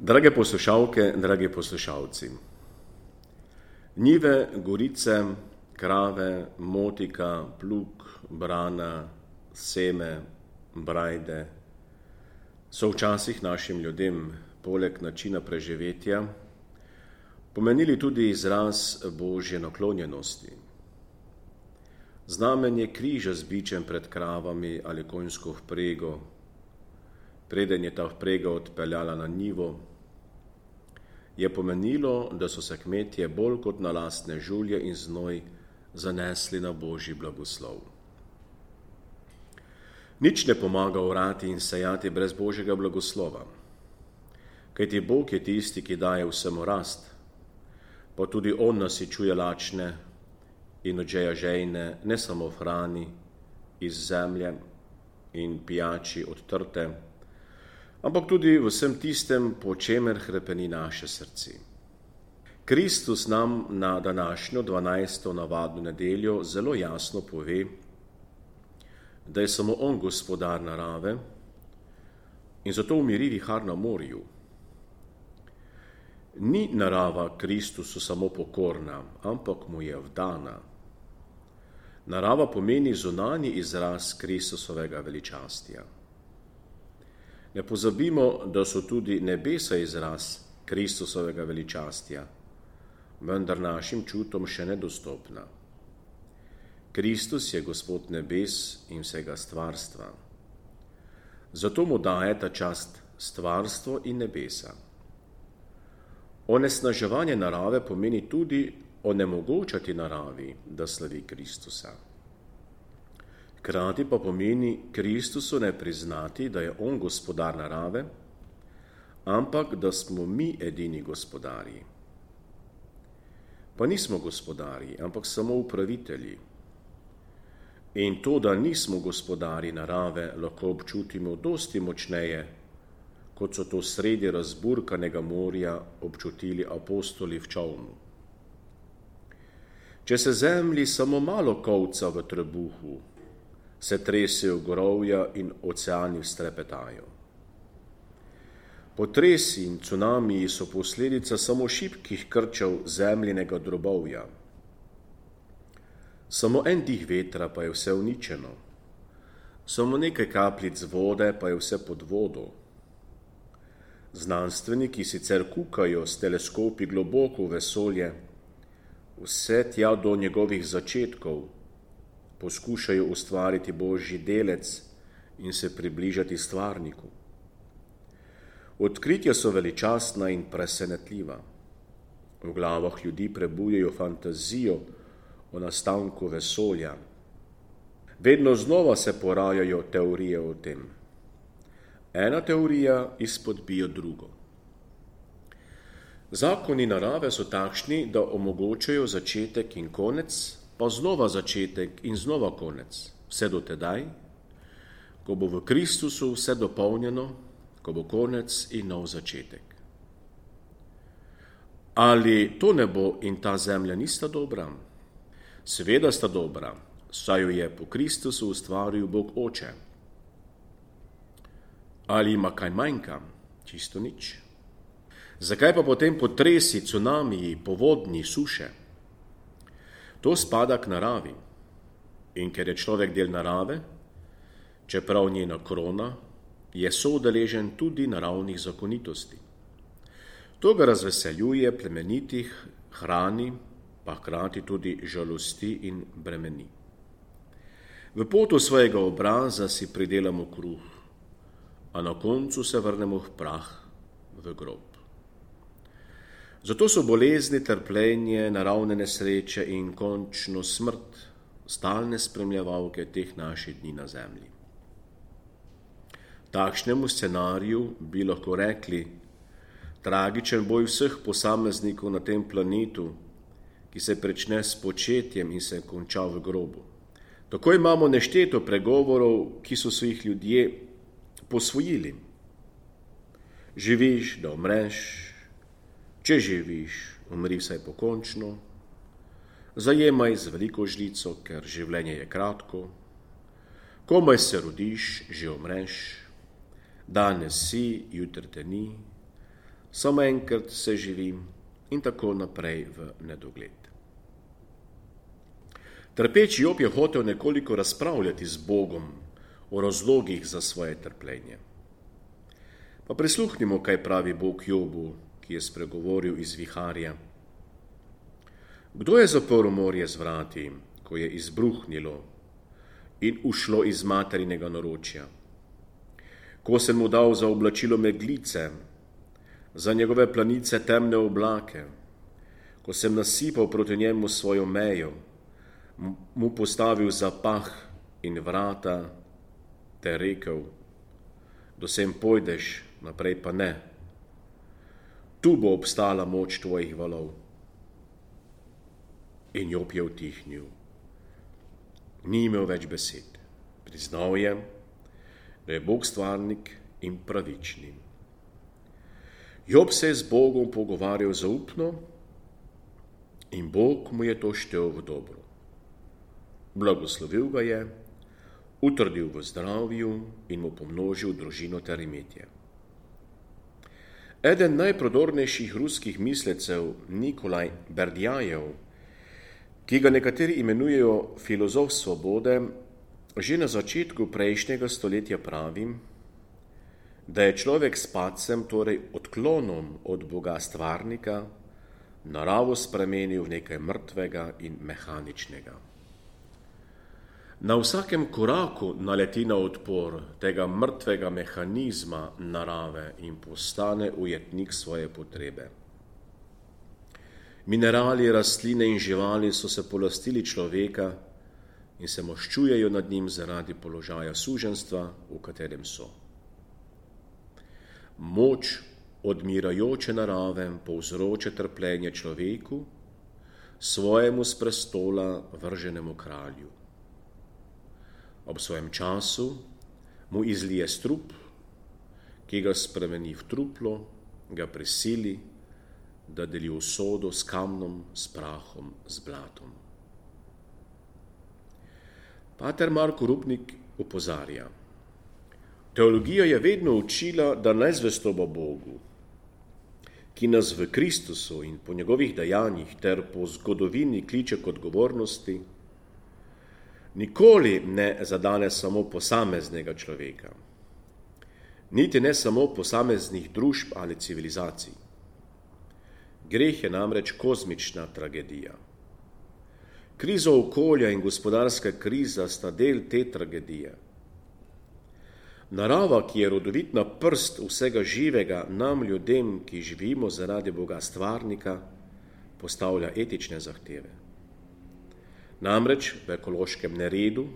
Drage poslušalke, dragi poslušalci, njive, gorice, krave, motika, plug, brana, seme, brajde so včasih našim ljudem poleg načina preživetja pomenili tudi izraz Božje naklonjenosti. Znamenje križa z bičem pred kravami ali konjsko vprego, preden je ta vprega odpeljala na njivo, je pomenilo, da so se kmetje bolj kot na lastne žulje in znoj zanesli na Božji blagoslov. Nič ne pomaga orati in sejati brez Božjega blagoslova, kajti Bog je tisti, ki daje vsemu rast, pa tudi On nasičuje lačne in odžeja žejne ne samo v hrani iz zemlje in pijači od trte, ampak tudi v vsem tistem, po čemer hrepeni naše srce. Kristus nam na današnjo 12. navadno nedeljo zelo jasno pove, da je samo On gospodar narave in zato umiri vihar na morju. Ni narava Kristusu samo pokorna, ampak mu je vdana. Narava pomeni zunanji izraz Kristusovega veličastja. Ne pozabimo, da so tudi nebesa izraz Kristusovega veličastja, vendar našim čutom še nedostopna. Kristus je Gospod nebes in vsega stvarstva. Zato mu daje ta čast stvarstvo in nebesa. Onesnaževanje narave pomeni tudi onemogočati naravi, da slavi Kristusa. Hkrati pa pomeni Kristusu ne priznati, da je On gospodar narave, ampak da smo mi edini gospodarji. Pa nismo gospodarji, ampak samo upravitelji. In to, da nismo gospodarji narave, lahko občutimo dosti močneje, kot so to sredi razburkanega morja občutili apostoli v čolnu. Če se zemlji samo malo kovca v trebuhu, se tresejo gorovja in oceani strepetajo. Potresi in cunamiji so posledica samo šibkih krčev zemljinega drobovja. Samo en dih vetra pa je vse uničeno. Samo nekaj kapljic vode pa je vse pod vodo. Znanstveniki sicer kukajo s teleskopi globoko v vesolje, vse tja do njegovih začetkov, poskušajo ustvariti Božji delec in se približati stvarniku. Odkritja so veličastna in presenetljiva. V glavah ljudi prebujajo fantazijo o nastanku vesolja. Vedno znova se porajajo teorije o tem. Ena teorija izpodbija drugo. Zakoni narave so takšni, da omogočajo začetek in konec, pa znova začetek in znova konec, vse do tedaj, ko bo v Kristusu vse dopolnjeno, ko bo konec in nov začetek. Ali to nebo in ta zemlja nista dobra? Seveda sta dobra, saj jo je po Kristusu ustvaril Bog Oče. Ali ima kaj manjka? Čisto nič. Zakaj pa potem potresi, cunamiji, povodni, suše? To spada k naravi. In ker je človek del narave, čeprav njena krona, je soudeležen tudi naravnih zakonitosti. To ga razveseljuje, plemenitih, hrani, pa hkrati tudi žalosti in bremeni. V potu svojega obraza si pridelamo kruh, a na koncu se vrnemo v prah, v grob. Zato so bolezni, trpljenje, naravne nesreče in končno smrt stalne spremljevalke teh naših dni na zemlji. Takšnemu scenariju bi lahko rekli tragičen boj vseh posameznikov na tem planetu, ki se prične s početjem in se konča v grobu. Tako imamo nešteto pregovorov, ki so si jih ljudje posvojili. Živiš, da umreš, če živiš, umri vsaj pokončno, zajemaj z veliko žlico, ker življenje je kratko, komaj se rodiš, že umreš, danes si, jutri te ni, samo enkrat se živi in tako naprej v nedogled. Trpeči Job je hotel nekoliko razpravljati z Bogom o razlogih za svoje trpljenje. Pa prisluhnimo, kaj pravi Bog Jobu, ki je spregovoril iz viharja. Kdo je zaprl morje z vrati, ko je izbruhnilo in ušlo iz materinega naročja? Ko sem mu dal za oblačilo meglice, za njegove planice temne oblake, ko sem nasipal proti njemu svojo mejo, mu postavil zapah in vrata, te rekel, dosem pojdeš, naprej pa ne. Tu bo obstala moč tvojih valov. In Job je utihnil. Ni imel več besed. Priznal je, da je Bog stvarnik in pravični. Job se je z Bogom pogovarjal zaupno in Bog mu je to štel v dobro. Blagoslovil ga je, utrdil v zdravju in mu pomnožil družino ter imetje. Eden najprodornejših ruskih mislecev, Nikolaj Berdjajev, ki ga nekateri imenujejo filozof svobode, že na začetku prejšnjega stoletja pravi, da je človek s padcem, torej odklonom od Boga stvarnika, naravo spremenil v nekaj mrtvega in mehaničnega. Na vsakem koraku naleti na odpor tega mrtvega mehanizma narave in postane ujetnik svoje potrebe. Minerali, rastline in živali so se polastili človeka in se maščujejo nad njim zaradi položaja suženjstva, v katerem so. Moč odmirajoče narave povzroča trpljenje človeku, svojemu s prestola vrženemu kralju. Ob svojem času mu izlije strup, ki ga spremeni v truplo, ga prisili, da deli usodo s kamnom, s prahom, z blatom. Pater Marko Rupnik opozarja. Teologija je vedno učila, da nezvestoba Bogu, ki nas v Kristusu in po njegovih dejanjih ter po zgodovini kliče k odgovornosti, nikoli ne zadane samo posameznega človeka, niti ne samo posameznih družb ali civilizacij. Greh je namreč kozmična tragedija. Kriza okolja in gospodarska kriza sta del te tragedije. Narava, ki je rodovitna prst vsega živega, nam ljudem, ki živimo zaradi Boga stvarnika, postavlja etične zahteve. Namreč v ekološkem neredu,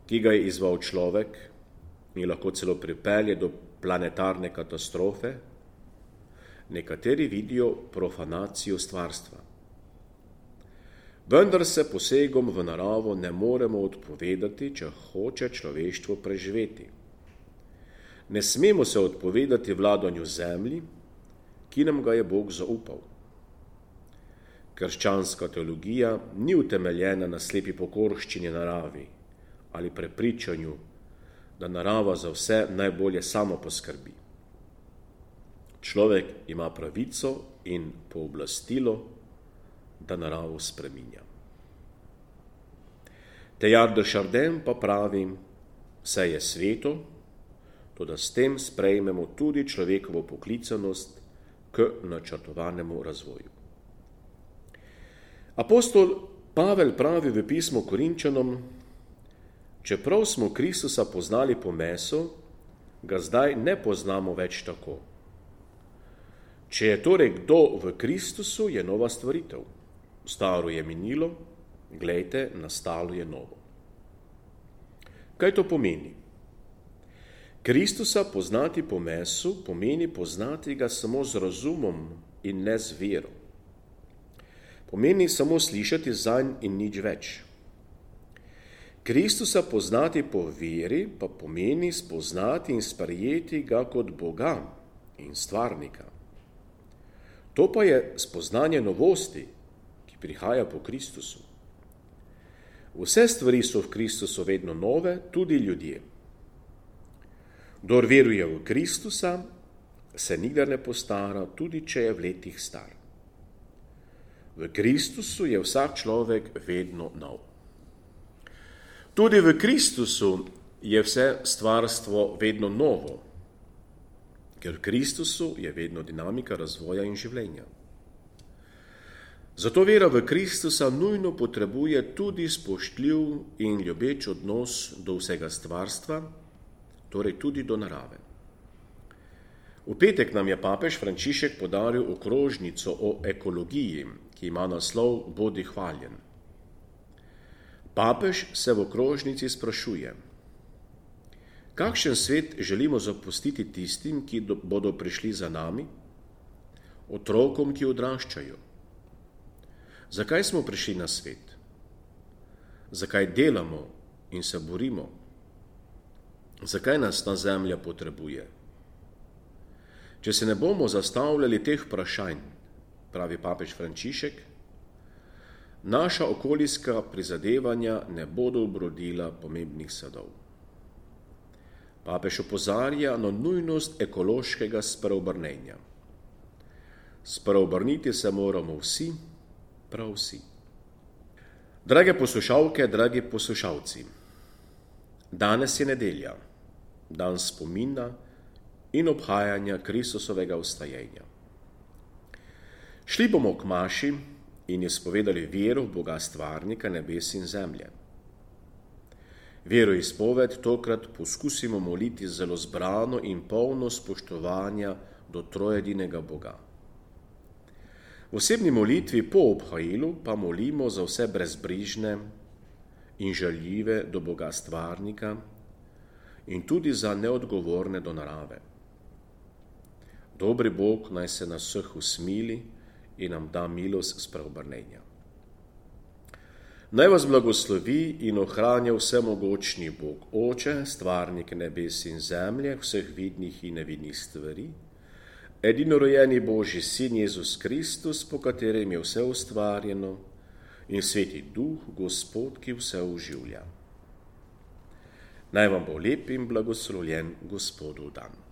ki ga je izval človek in lahko celo pripelje do planetarne katastrofe, nekateri vidijo profanacijo stvarstva. Vendar se posegom v naravo ne moremo odpovedati, če hoče človeštvo preživeti. Ne smemo se odpovedati vladanju zemlji, ki nam ga je Bog zaupal. Krščanska teologija ni utemeljena na slepi pokorščini naravi ali prepričanju, da narava za vse najbolje samo poskrbi. Človek ima pravico in pooblastilo, da naravo spreminja. Teilhard de Chardin pa pravi, vse je sveto, toda s tem sprejmemo tudi človekovo poklicanost k načrtovanemu razvoju. Apostol Pavel pravi v pismu Korinčanom, čeprav smo Kristusa poznali po mesu, ga zdaj ne poznamo več tako. Če je torej kdo v Kristusu, je nova stvaritev. Staro je minilo, glejte, nastalo je novo. Kaj to pomeni? Kristusa poznati po mesu pomeni poznati ga samo z razumom in ne z vero. Pomeni samo slišati zanj in nič več. Kristusa poznati po veri pa pomeni spoznati in sprejeti ga kot Boga in stvarnika. To pa je spoznanje novosti, ki prihaja po Kristusu. Vse stvari so v Kristusu vedno nove, tudi ljudje. Kdor veruje v Kristusa, se nikdar ne postara, tudi če je v letih star. V Kristusu je vsak človek vedno nov. Tudi v Kristusu je vse stvarstvo vedno novo, ker v Kristusu je vedno dinamika razvoja in življenja. Zato vera v Kristusa nujno potrebuje tudi spoštljiv in ljubeč odnos do vsega stvarstva, torej tudi do narave. V petek nam je papež Frančišek podaril okrožnico o ekologiji, ki ima naslov Bodi hvaljen. Papež se v okrožnici sprašuje, kakšen svet želimo zapustiti tistim, ki bodo prišli za nami, otrokom, ki odraščajo. Zakaj smo prišli na svet? Zakaj delamo in se borimo? Zakaj nas ta zemlja potrebuje? Če se ne bomo zastavljali teh vprašanj, pravi papež Frančišek, naša okoljska prizadevanja ne bodo obrodila pomembnih sadov. Papež opozarja na nujnost ekološkega spreobrnenja. Spreobrniti se moramo vsi, prav vsi. Drage poslušalke, dragi poslušalci, danes je nedelja, dan spomina in obhajanja Kristusovega vstajenja. Šli bomo k maši in izpovedali vero v Boga stvarnika nebes in zemlje. Veroizpoved tokrat poskusimo moliti zelo zbrano in polno spoštovanja do trojedinega Boga. V osebni molitvi po obhajilu pa molimo za vse brezbrižne in žaljive do Boga stvarnika in tudi za neodgovorne do narave. Dobri Bog naj se nas vseh usmili in nam da milost spreobrnenja. Naj vas blagoslovi in ohranja vsemogočni Bog, Oče, stvarnik nebes in zemlje, vseh vidnih in nevidnih stvari, edinorojeni Božji Sin Jezus Kristus, po katerem je vse ustvarjeno, in Sveti Duh, Gospod, ki vse oživlja. Naj vam bo lep in blagoslovljen Gospodov dan.